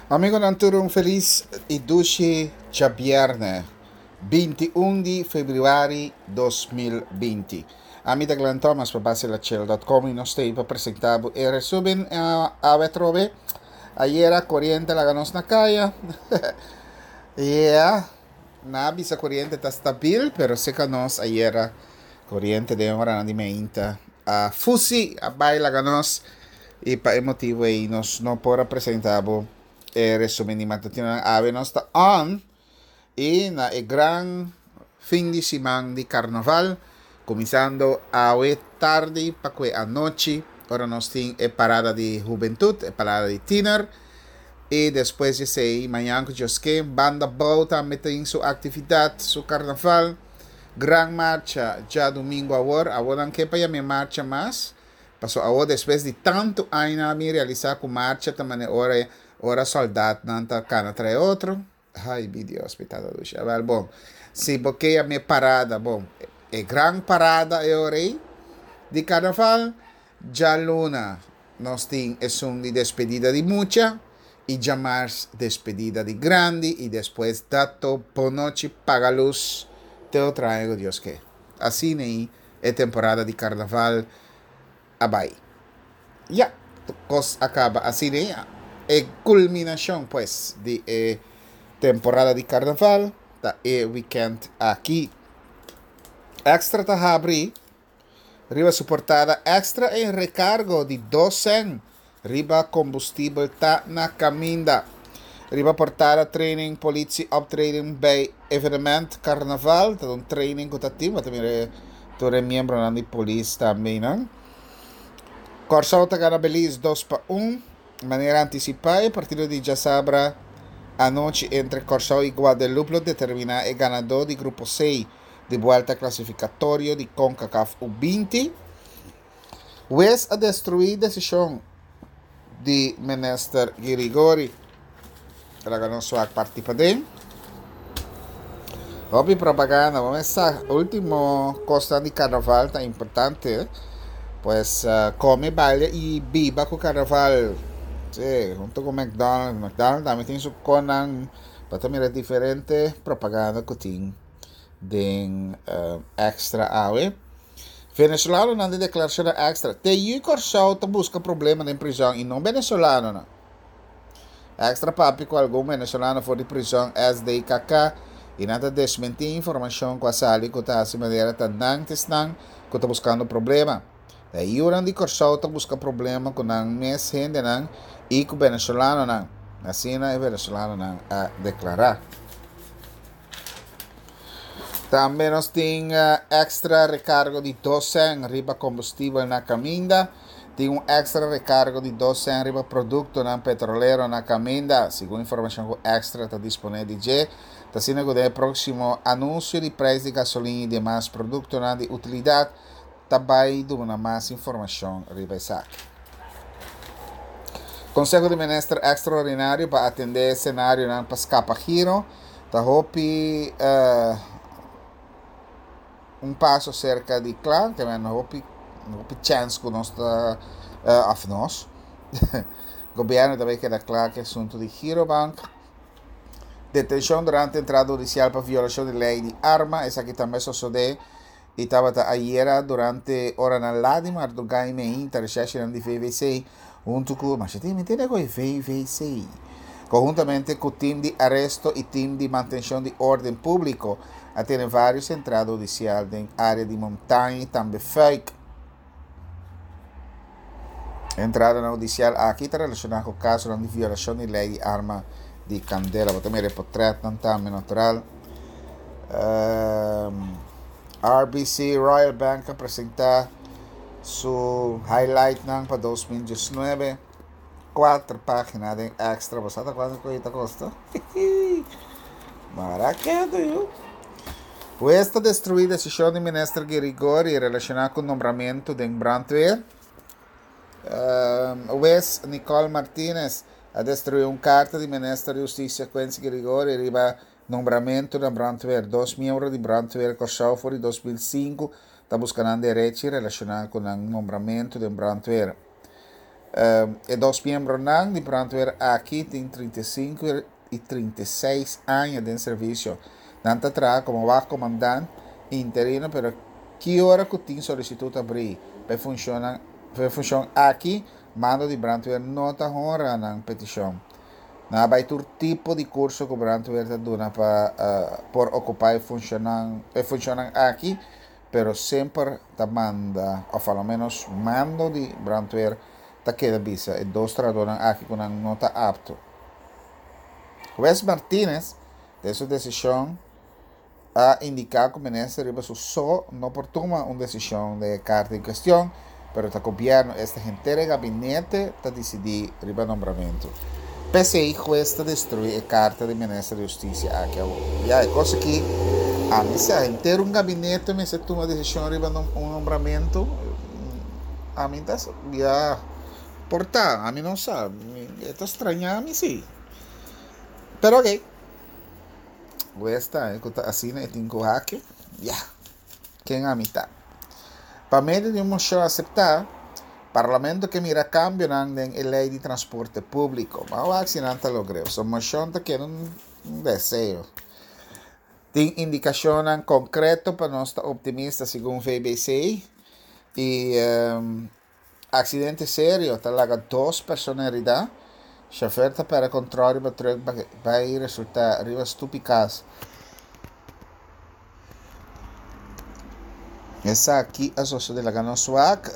Amigonan tur un felis i dushi djabièrnè, 21 di febrüari 2020. Ami ta Glenn Thomas pa basilachel.com i nos ta pa presentá bo e resumen awe atrobe. Ayera koriente laga nos na kaya. Yeah, nan a bisa koriente ta stabil, pero seka nos ayera koriente den oranan di meinta a fusi, a bai laga nos. I pa e motibu ei nos no por a presentá bo e resumen di matutinonan. Awe nos ta on i na e gran fin di siman di karnaval, kuminsando awe tardi pa ku e anochi, ora nos tin e parada di hubentut, e parada di tiner, i despues di esei mañan ku Dios ke, Banda Bou tambe tin su aktividat, su karnaval, gran marcha djadumingu awor, awor nan ke pa yama e marcha mas. Paso awor despues di tantu aña mi realisa ku marcha ta mane ora ora soldatnan ta kana trae otro. Ay mi Dios mi tata dushi. Awel bon si bo ke yam'e parada bon e gran parada e ora ei di karnaval djaluna nos tin esun di despedida di mucha i djamars despedida di grandi i despues dato bonochi paga lus te otro aña ku Dios ke. Asina ei E temporada di karnaval a bai. Ya, kos a kaba asina ei. E kulminashon pues di e temporada di karnaval ta e wikènt aki. Extra ta habri riba su portada Extra e rekargo di 2 sèn riba kombustibel ta na kaminda. Riba portada training politie optreden bij evenement karnaval ta un training ku ta tin bo ta mira tur e miembronan di polis tambe nan. Kòrsou ta gana Belize 2-1 manera antisipá e partido di djasabra anochi entre Kòrsou i Guadeloupe lo determiná e ganadó di grupo C di buèlta klasifikatorio di Concacaf U20. Wes a destruí desishon di minister Girigori. Laga nos wak parti paden. Hopi propaganda. Bo mester sa ultimo kosnan di karnaval ta importante. Pues kome, baila i biba ku karnaval. Si, hunto ku McDonald's. McDonald's tambe tin su konan. Bo ta mira diferente propaganda ku tin den extra awe. Venezolanonan den deklarashonnan extra. Te yu Kòrsou ta buska problema den prizòn i no venezolanonan. Extra papia ku algun venezolano for di prizòn SDKK i nan ta desmentí informashon ku a sali ku ta hasi manera ta nan ta esnan ku ta buskando problema. E yunan di Kòrsou ta buska problema ku nan mes hendenan i ku venezolanonan, asina e venezolanonan a deklará. Tambe nos tin extra recargo di 2 cent riba kombustibel na kaminda. Tin un extra recargo di 2 cent riba produktonan petrolero na kaminda. Segun informashon ku Extra ta disponé di dje, ta asina ku den e próksimo anunsio di preis di gasolin i demas produktonan di utilidat ta bai duna mas informashon riba esaki. Konseho di Minister ekstraordinario pa atendé senarionan pa skapa giro ta hopi un paso serka di kla, ke men hopi hopi chèns ku nos ta òf nos gobièrnu ta bai keda kla ku e asuntu di Girobank. Detenshon durante entrada hudisial pa violashon di lei di arma, esaki tambe a sosodé i tabata ayera durante oranan lat di mardugá i meinta reshèrshinan di VVC huntu ku masha tin mi tende ku e VVC konhuntamente ku tim di aresto i tim di mantenshon di órden públiko a tene vários entrada hudisial den área di Montaña i tambe Fuik. E entradanan hudisial aki ta relashoná ku kasonan di violashon di lei di arma di kandela. Bo ta mira e potrètnan tambe natural. RBC Royal Bank a presentá su highlightnan pa 2019. Kuater página den extra. Bo sa ta kuantu ku ta kosta? Mara ketu yu. Hues ta destruí desishon di minister Girigori relashoná ku nombramentu den brandweer. Hues Nicole Martinez a destruí un karta di minister di Hustisia Quincy Girigori riba nombramentu na brandweer. Dos miembro di brandweer Kòrsou for di 2005 ta buska nan derechi relashoná ku nan nombramentu den brandweer. E dos miembronan di brandweer aki tin 35 i 36 aña den servisio. Nan ta traha komo wachtcommandant interino pero ki ora ku tin solisitut abrí pa e funshonnan pa e funshon aki, mando di brandweer no ta honra nan petishon. Nan a bai tur tipo di kurso ku brandweer ta duna pa por okupá e funshonnan e funshonnan aki pero semper ta manda òf alomenos mando di brandweer ta keda bisa e dos trahadónan aki ku nan no ta apto. Hues Martínez den su desishon a indiká ku minister riba su so no por tuma un desishon den e karta en kuestion, pero ta gobièrnu, esta henter e gabinete, ta disidí riba nombramentu. P'esei hues ta destruí e karta di minister di hustisia aki awor. Ya, e kos aki, ami sa, henter un gabinete mester tuma desishon riba un nombramentu, ami ta, ya, por ta, ami no sa, e ta straña mi si. Pero ok. Wes ta e ku ta asina e tin ku haki? Ya. Ken ami ta? Pa medio di un moshon aseptá, Parlamento ke mira kambionan den e lei di transporte públiko. Ban wak si nan ta logr'é. So moshon ta keda un deseo. Tin indikashonnan konkreto pa nos ta optimista segun VBC i Accidente serio ta laga dos persona herida, Chofer ta perde control riba truck bay resulta riba stupi cas. Esaki a sosode laga nos wak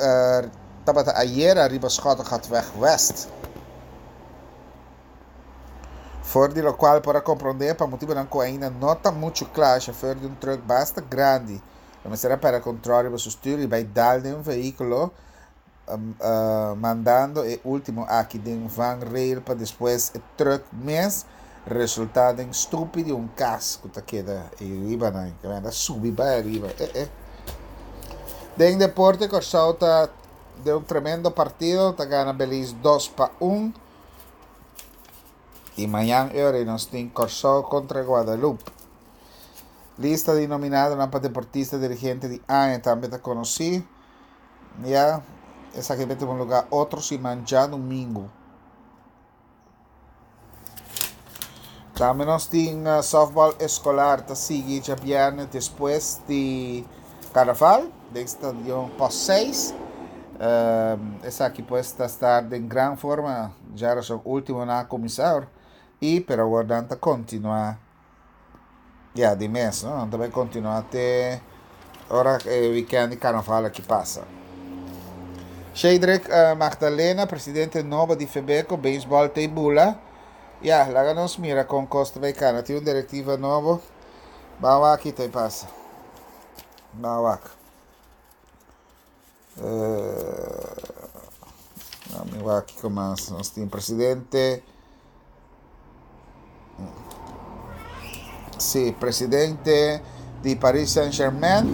tabata ayera riba Schottegatweg West. For di locual por a compronde pa motibonan cu ainda no ta mucho cla chofer di un truck basta grandi Lo mester a pèrdè kontròl riba su stür i bai dal den un vehíkulo, mandando e último aki den vangrail pa despues e trùk mes resultá den stupi di un kas ku ta keda ei riba nan. Ke mester a subi bai ariba. E e. Den deporte Kòrsou ta den un tremendo partido, ta gana Belize 2-1. I mañan e ora ei nos tin Kòrsou kontra Guadalupe. Lista di nominadonan pa deportista dirigente di aña tambe ta konosí. Ya, esaki ta tuma lugá otro siman djadumingu. Tambe nos tin softball eskolar ta sigui djabièrnè despues di karnaval den stadion Post 6. Esaki pues ta sta den gran forma djarason último nan a kuminsá i pero awor nan ta kontinuá. Ya, di mes, no? Nan ta bai kontinuá te ora e wikènt di karnaval aki pasa. Shadrick Magdalena, presidente nobo di Febeko, beisbòl ta i bula. Ya, laga nos mira kon kos ta bai kana. Tin un direktiva nobo. Ban wak ki ta i pasa. Ban wak. Mi wak kiko mas nos tin presidente. Sí, presidente di Paris Saint-Germain.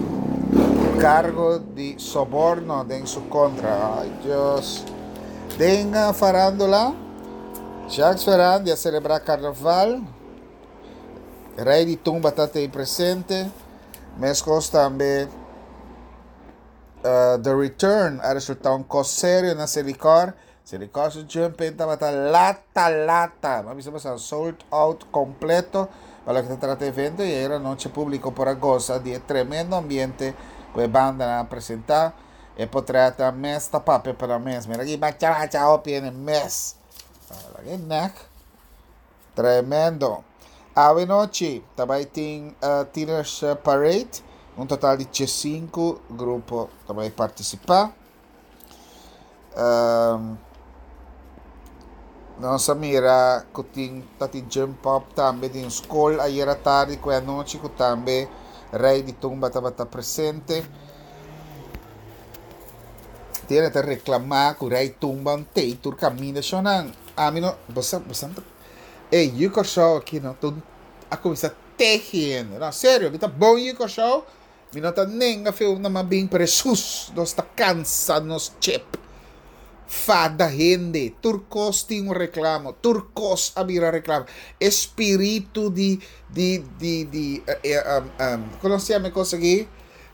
Cargo di soborno den su contra. Ay, Dios. Den farándula, Jacques Ferrandi a celebra carnaval. Rey di tumba ta tei presente. Mescos tambe The Return a resulta un kos serio na Selikor. Selikor su jump-in tabata lata lata. M'a bisa boso sold out kompleto pa loke ta trata evento i ayer anochi publiko por a gosa di e tremendo ambiente ku e bandanan a presenta. E potretnan mes ta papia pa nan mes. Mira aki bacha bacha hopi hende mes. Laga e nek. Tremendo! Awe nochi ta bai tin Tieners Parade, un total di diesinku grupo ta bai partisipá. Nos a mira ku tin ta tin jump up tambe den skol ayera tardi ku e anochi ku tambe Rei di Tumba tabata presente. Tiene ta reclama cu Rey Tumba un tey tur caminda shonan. Ami no, bosa, bosa ta, ey, yu Kòrsou aki no, tur a cuminsa tehi hende. No, serio, mi ta bon yu Kòrsou, mi no ta nenga fe unda m'a bin, pero Hesus, nos ta cansa nos chip. Fada hende, tur cos tin un reclamo, tur cos a bira reclamo. E spiritu di, di, di, di, con nos yama e cos aki?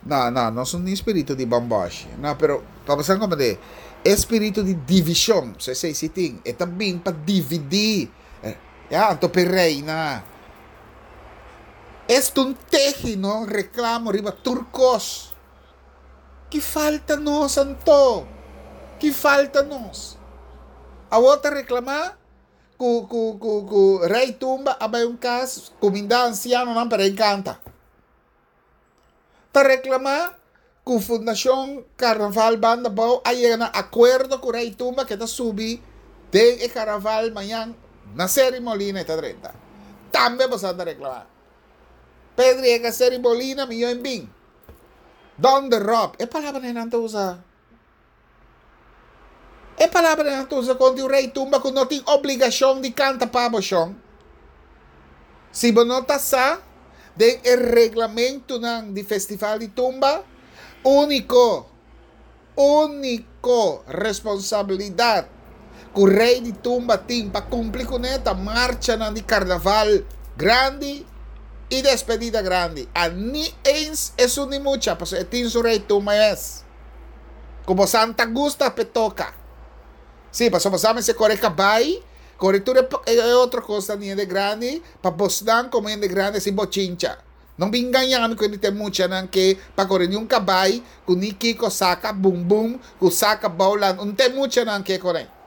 No, no, nos no tin spiritu di bòmbòshi. No, pero pa bo sa komprendé, E spiritu di divishon, so esei si tin, e ta bin pa dividí, ya, anto p'e reina. Esta un tehi, no, reklamo riba tur kos. Ki falta nos anto? Ki falta nos? Awor ta reklamá ku ku ku ku Rei Tumba a bai un kas kumindá ansianonan pa rei kanta. Ta reklamá ku Fundashon Karnaval Banda Bou a yega na akuerdo ku Rei Tumba ke ta subi den e karnaval mañan na Seri Molina e ta drenta. Tambe boso a ta reklamá. Pedri yega Seri Molina mi yo en bin. Donder op. E palabranan nan ta usa. E palabranan nan ta usa kontra un rei tumba ku no tin obligashon di kanta pa bo shon. Si bo no ta sa, den e reglamentunan di festival di tumba, úniko, úniko responsabilidat ku rei di tumba tin pa kumpli kuné ta marchanan di karnaval grandi i despedida grandi. A ni eens esun di mucha, pasobra e tin su rei tumba mes. Ku bo santa gusta p'e toka. Sí, pasobra bo sa mester kore kabai, kore tur e otro kosnan di hende grandi, pa bosnan komo hende grandi hasi bochincha. No bin gaña mi ku hende ta e muchanan ke pa kore ni un kabai ku ni kiko saka bum bum ku saka boulan un ta e muchanan ke kore.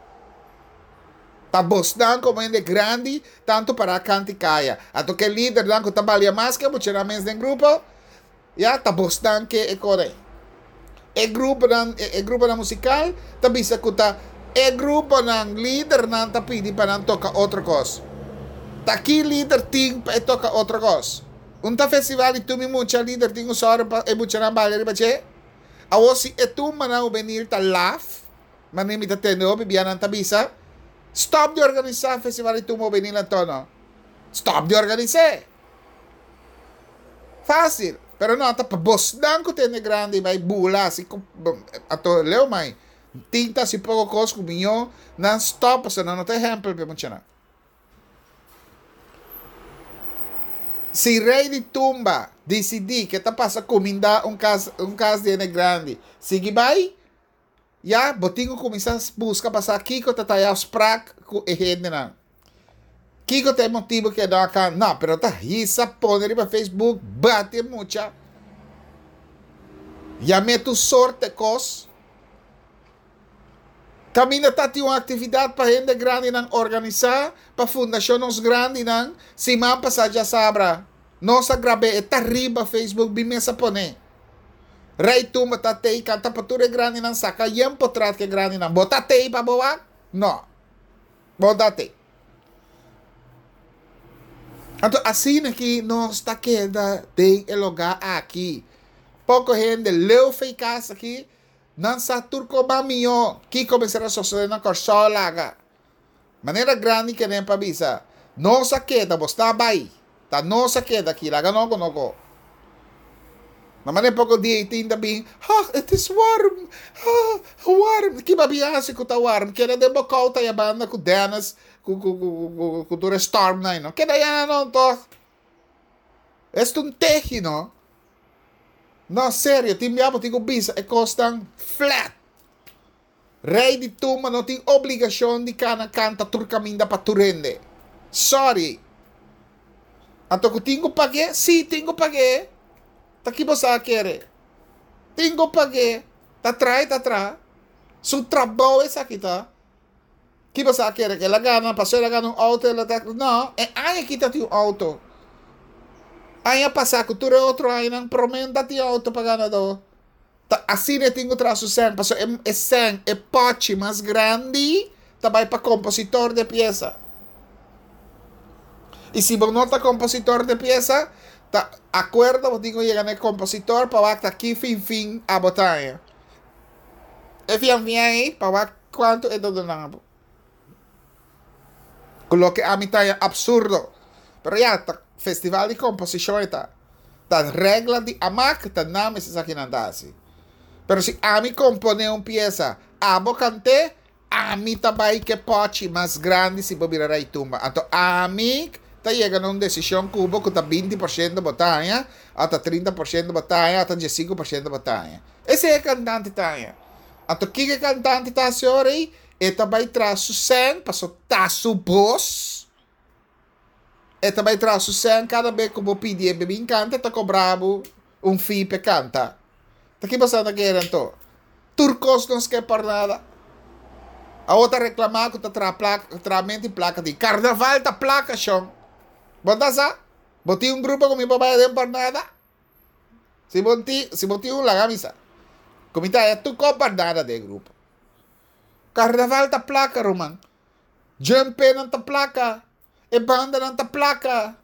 Ta bosnan komo hende grandi tantu para kanti kaya. Anto ke lidernan ku ta balia mas ke muchanan mes den grupo ya ta bosnan ke e kore. E gruponan e gruponan musikal ta bisa ku ta e gruponan lidernan ta pidi pa nan toka otro kos. Ta ki lider tin pa e toka otro kos? Un ta festival di tumi mucha lider tin un sòru pa e muchanan baila riba dje? Awor si e tumbanan hubenil ta laf, manera mi ta tende hopi bia nan ta bisa, stòp di organisá festival di tumba hubenil anto no. Stòp di organis'é. Fácil, pero no ta pa bosnan ku tende grandi bai bula asi ku ato leu mai tin ta hasi poko kos ku miyo nan stop pasobra nan no ta ehèmpel pa e muchanan. Si rei di tumba disidí ke ta pasa kumindá un kas un kas di hende grandi sigui bai ya bo tin ku kuminsá buska pa sa kiko ta ta e afsprak ku e hendenan. Kiko ta e motibu ku e no a kan? No, pero ta hisa pone riba Facebook, bati e mucha, yam'é tur sorte kos. Kaminda ta tin un aktividat pa hende grandinan organisá, pa Fundashon Nos Grandinan, siman pasá djasabra. Nos a grab'é, e ta riba Facebook, bin mes a pon'é. Rei Tumba ta tei kanta pa tur e grandinan saka yen potrat ku e grandinan. Bo ta tei pa bo wak? No. Bo ta tei. Anto asina ki nos ta keda den e lugá aki. Poko hende leu fei kas aki, nan sa tur koba mihó kiko mester a sosodé na Kòrsou laga. Manera grandi kenen pa bisa, Nos a keda, bo sta bai. Ta nos a keda aki, laga no ku no go. Na manera poko dia i tin ta bin, Ha, it is warm, ha, warm. Ki bo bin hasi ku ta warm? Keda den bo kouta ya banda ku Dennis, ku ku ku ku ku tur e stormnan ei no. Keda ya nan tòg. Es ta un tehi no. No, serio, tin bia bo tin ku bisa e kosnan flat. Rei di tumba no tin obligashon di kana kanta tur kaminda pa tur hende. Sorry. Anto ku tin ku pag'é? Sí, tin ku pag'é. Ta ki bo sa a kere? Tin ku pag'é. Ta traha i ta traha. Su trabou esaki ta. Ki bo sa a kere? Ku el a gana, pasobra el a gana un outo el a ta. No, e aña aki ta tin un outo. Aña pasá ku tur e otro añanan promé no ta tin outo pa ganadó. Ta asina e tin ku traha su sèn, pasobra e e sèn, e pòchi mas grandi ta bai pa kompositor di e piesa. I si bo no ta kompositor di e piesa, ta akuerdo bo tin ku yega na e kompositor pa wak ta ki fin fin abo ta haña. E fian fian ei pa wak kuantu e ta duna bo. Ku loke ami ta haña absurdo. Pero ya, ta festival di komposishon e ta. Ta regla di amak ta nan mester sa kinan ta hasi. Pero si ami komponé un piesa, abo kant'é, ami ta bai ku e pòchi mas grandi si bo bira rei tumba. Anto ami ta yega na un desishon ku bo ku ta 20% bo ta haña, òf ta 30% bo ta haña, òf ta 15% bo ta haña. Esei e kantante ta haña. Anto kiko e kantante ta hasi ora ei? E ta bai traha su sèn pasobra ta su bos. E ta bai traha su sèn kada be ku bo pidi e be bin kanta e ta kobra bo un fee p'e kanta. Ta ki boso ta kere anto? Tur kos nos ke por nada. Awor ta reklamá ku ta traha plaka, trahamento di plaka tin. Karnaval ta plaka shon. Bo ta sa? Bo tin un grupo ku mi por bai aden por nada? Si bo tin, si bo tin un laga mi sa. Ku mi ta haya tur kos por nada den e grupo. Karnaval ta plaka ruman. Jumpenan ta plaka. E bandanan ta plaka.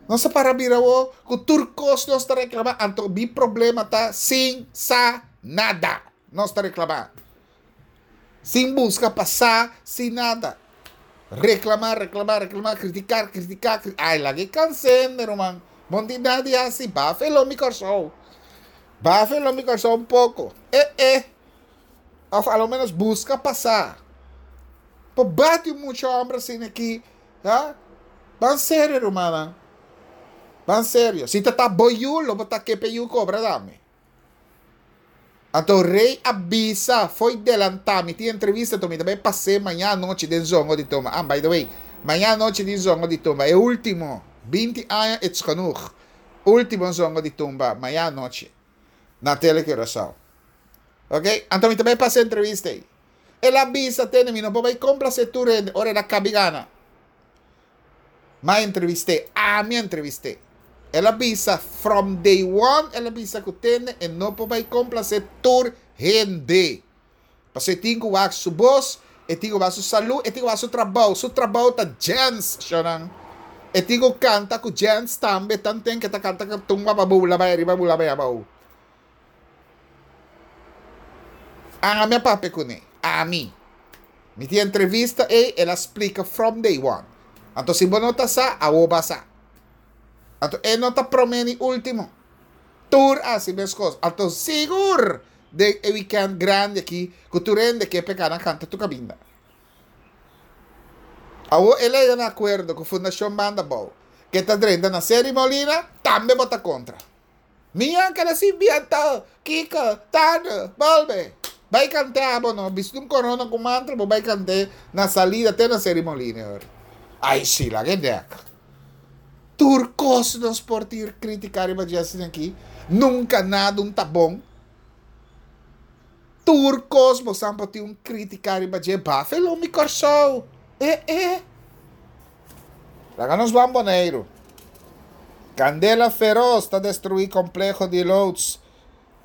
Nos a para bira awor ku tur kos nos ta reklamá. Anto mi problema ta sin sa nada nos ta reklamá. Sin buska pa sa, sin nada. Reklamá, reklamá, reklamá, kritiká, kritiká, kri Ai, laga e kansende, ruman. Bo no tin nada di hasi. Bafa e lomi Kòrsou. Bafa e lomi Kòrsou un poko. E e. Òf a lo ménos buska pa sa. Por bati un mucha hòmber asina aki, ha? Ban serio, rumannan. Ban serio. Si ta ta bo yu, lo bo ta ke p'e yu kobra tambe. Anto rey a bisa, Fo'i delantá, mi tin entrevista, anto mi ta bai pas'é maña anochi den Zongo di Tumba. Ah, by the way, maña anochi di Zongo di Tumba, e último, binti aña it's genoeg, último Zongo di Tumba, maña anochi, na Tele Curaçao. Ok? Anto mi ta bai pas'é entrevista ei. El a bisa, Tene, mi no por bai komplasé tur hende, ora el a kabi gana. M'a entrevist'é, ami a entrevist'é. El a bisa from day one el a bisa ku tende e no por bai komplasé tur hende. Pasobra e tin ku wak su bos, e tin ku wak su salú, e tin ku wak su trabou. Su trabou ta djens, shownan. E tin ku kanta ku djens tambe, tanten ku e ta kanta ku tumba pa bula bai ariba bula bai abou. Ami a papia kuné. Ami. Mi tin entrevista ei, el a splika from day one. Anto si bo no ta sa, awo bo a sa. Anto e no ta promé ni último. Tur a hasi meskos. Anto sigur den e wikènt grandi aki ku tur hende ke peka nan kanta tur kaminda. Awo el a yega na akuerdo ku Fundashon Banda Bou ke ta drenta na Seri Molina, tambe bo ta kontra. Mi a keda sin biento, Kiko, Tano, bolbe. Bai kant'é abo no, bisti un korona ku mantel bo bai kant'é na salida te na Serimoline hoor. Ai si, laga e dek. Tur kos nos por tin kritika riba dje asina aki, nunka nada un ta bon. Tur kos bo san por tin un kritika riba dje, bafelo mi Kòrsou. E e. Laga nos ban Boneiru. Kandela feros ta destruí kompleho di loods.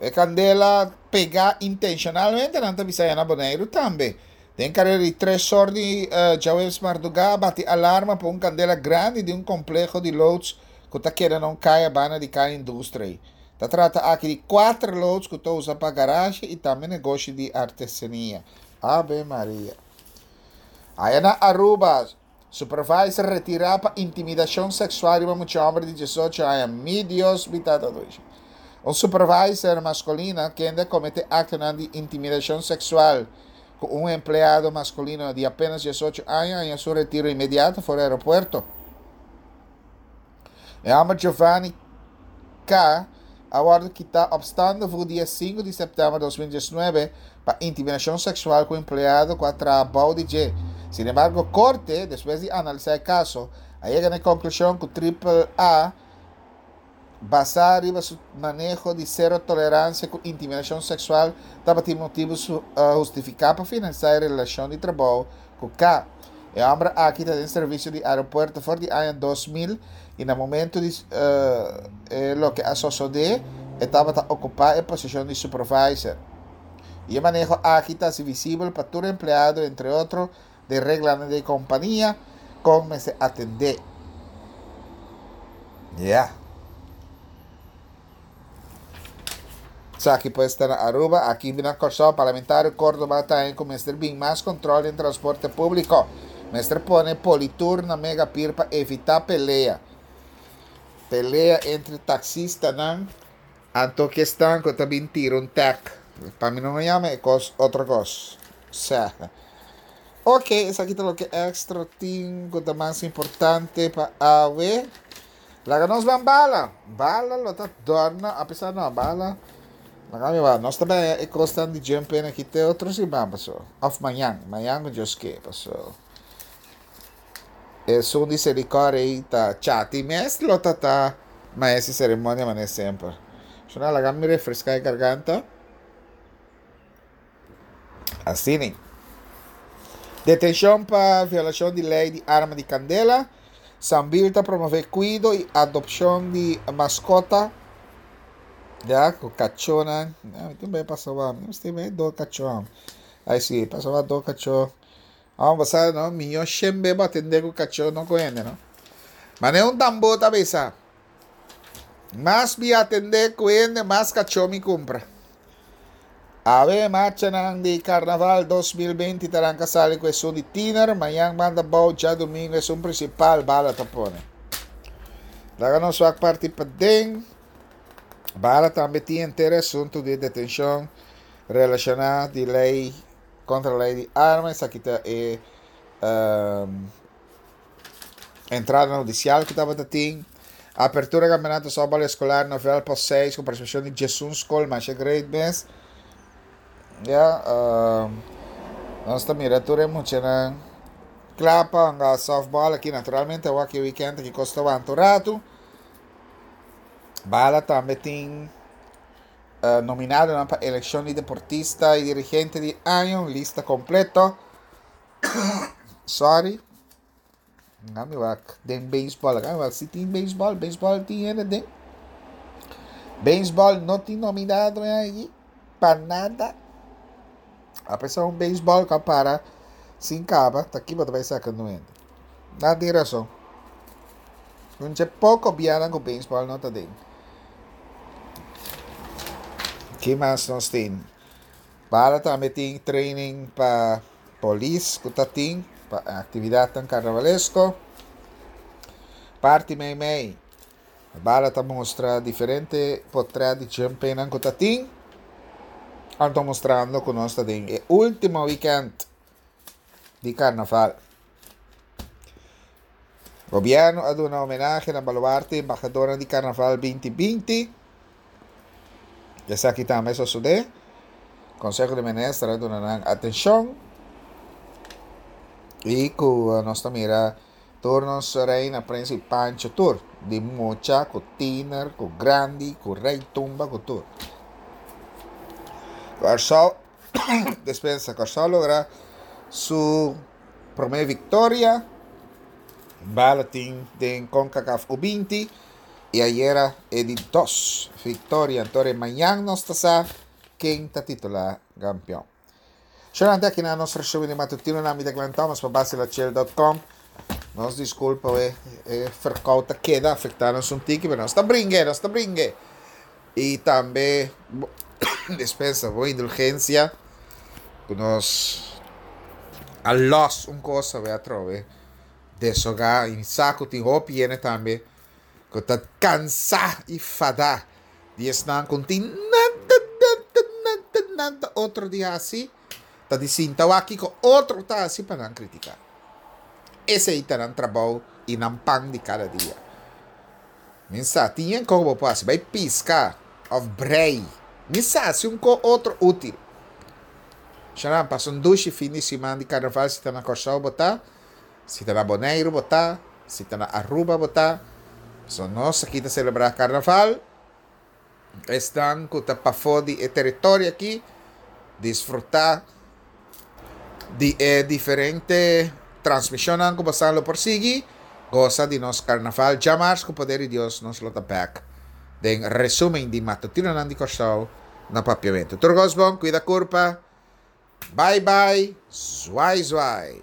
E kandela pegá intenshonalmente nan ta bisa ya na Boneiru tambe. Den karera di tres or di djaweps mardugá a bati alarma pa un kandela grandi di un kompleho di loods ku ta keda na un kaya banda di Kaya Industrie. Ta trata aki di kuater loods ku ta usa pa garashe i tambe negoshi di artesania. Ave Maria. Aya na Aruba, supervisor retirá pa intimidacion sexual riba mucha homber di diesocho aña. Mi Dios, mi tata dushi. Un supervisor masculino kende a comete actonan di intimidacion sexual cu un empleado masculino di apenas diesocho aña haña su retiro inmediato for di aeropuerto. E homber Giovanni K. a wordo kita opstande voet dia sinku di september 2019 pa intimidacion sexual cu empleado cu a traha bou di dje. Sin embargo, corte, despues di analisa e caso, a yega na e conclusion cu Triple A, basa riba su maneho di cero tolerancia cu intimidacion sexual, tabatin motibo hustifica pa finalisa e relacion di trabou cu K. E homber aki ta den servicio di aeropuerto for di aña 2000 y na momento di e loke a sosode e tabata ocupa e posicion di supervisor. Y e maneho aki ta haci visibel pa tur empleado entre otro den reglanan di e compania con mester atende. Ya. Esaki pues ta na Aruba, aki na Kòrsou Parlamentario Córdoba ta haña ku mester bin mas kontrol den transporte públiko. Mester pone politur na Megapir pa evitá pelea. Pelea entre taksistanan anto ku esnan ku ta bin tira un tèk. Pa mi no yama e kos otro kos. Sè. Oke, esaki ta loke Extra tin ku ta mas importante pa awe. Laga nos ban bala. Bala lo ta dòrna, apesar no, bala. Laga mi wak, nos ta bay e kosnan di jump in aki te otro siman paso. Of mañan, mañan ku Dios ke paso. Esun di Selikor ei ta chati mes lo ta ta maes di seremonia manera semper. Shona laga mi refresca e garganta. Asina. Detenshon pa violashon di lei di arma di kandela. Sambil ta promove kuido i adopshon di maskota. Ya, ku kachónan. Ya, mi tin bai pasa wak. Mi mester bai do kachó. Ai si, pasa wak do kachó. Amo bo sa no, mihó shembe bo atendé ku kachó no ku hende no. Manera un tambú ta bisa, Mas mi atendé ku hende, mas kachó mi kumpra. Awe marchanan di Karnaval 2020 ta ranka sali ku esun di tiner, mañan banda bou djadumingu esun prinsipal bala ta pone. Laga nos wak parti paden. Bala tambe tin henter e asuntu di detenshon relashoná di lei kontra lei di arma, esaki ta e entrada hudisial ku tabata tin. Apertura kampeonato softball eskolar na vèlt pos 6 ku partisipashon di diesun skol masha great mes. Ya, nos ta mira tur e muchanan kla pa hunga softball aki. Naturalmente awor aki weekend aki kos ta wanta un ratu. Bala tambe tin nominadonan pa elekshon di deportista i dirigente di aña, un lista kompleto. Sorry. Laat mi wak den baseball. Laat mi wak si tin baseball. Baseball tin hende den. Baseball no tin nominado ahí. Pa nada. A pesar un baseball ka para sin kaba, ta ki bo ta bai saka nu hende. Nan tin rason. Un dje poko bianan ku baseball no ta den. Ki mas nos tin? Bala tambe tin training pa polis ku ta tin pa aktividatnan karnavalesko. Parti meimei, Bala ta mustra diferente potret di jumpennan ku ta tin. Anto mustrando ku nos ta den e ultimo weekend di karnaval. Gobièrnu a duna homenahe na baluarte embahadornan di Karnaval 2020. Esaki tambe a sosodé. Konseho di Minister a duna nan atenshon i ku nos ta mira tur nos reina, prens i pancho tur, di mucha ku tiner, ku grandi, ku rei tumba ku tur. Kòrsou, despensa, Kòrsou logra su promé viktoria bala tin den Concacaf U20 i ayera e di dos viktoria. Anto mañan nos ta sa ken ta titulá kampeon. Shorante aki na nos resumen di matutino na mi ta Glenn Thomas pa basilachel dot com. Nos disculpa we e verkoud ta keda afecta nos un tiki pero nos ta bringue, nos ta bringue. Y tambe dispensa bo indulgencia cu nos a los un cosa we atrobe desoga y mi sa cu tin hopi hende tambe cu ta cansa y fada di esnan cu no tin nada nada nada nada otro di haci ta di sinta wak kico otro ta haci pa nan critica. Esey ta nan trabou y nan pan di cada dia. Mi sa tin yen ko bo por hasi, bai piska of brei. Mi sa hasi un ko otro util. Shanan, pasa un dushi fin di siman di karnaval si ta na Kòrsou bo ta, si ta na Boneiru bo ta, si ta na Aruba bo ta. So nos aki ta selebrá karnaval. Esnan ku ta pafó di e teritorio aki disfrutá di e diferente transmishonnan ku bosan lo por sigui. Gosa di nos karnaval djamars ku poder di Dios nos lo ta bèk den resumen di Matutinonan di Kòrsou na Papiamentu. Tur kos bon, kuida kurpa. Bai bai, zwai zwai.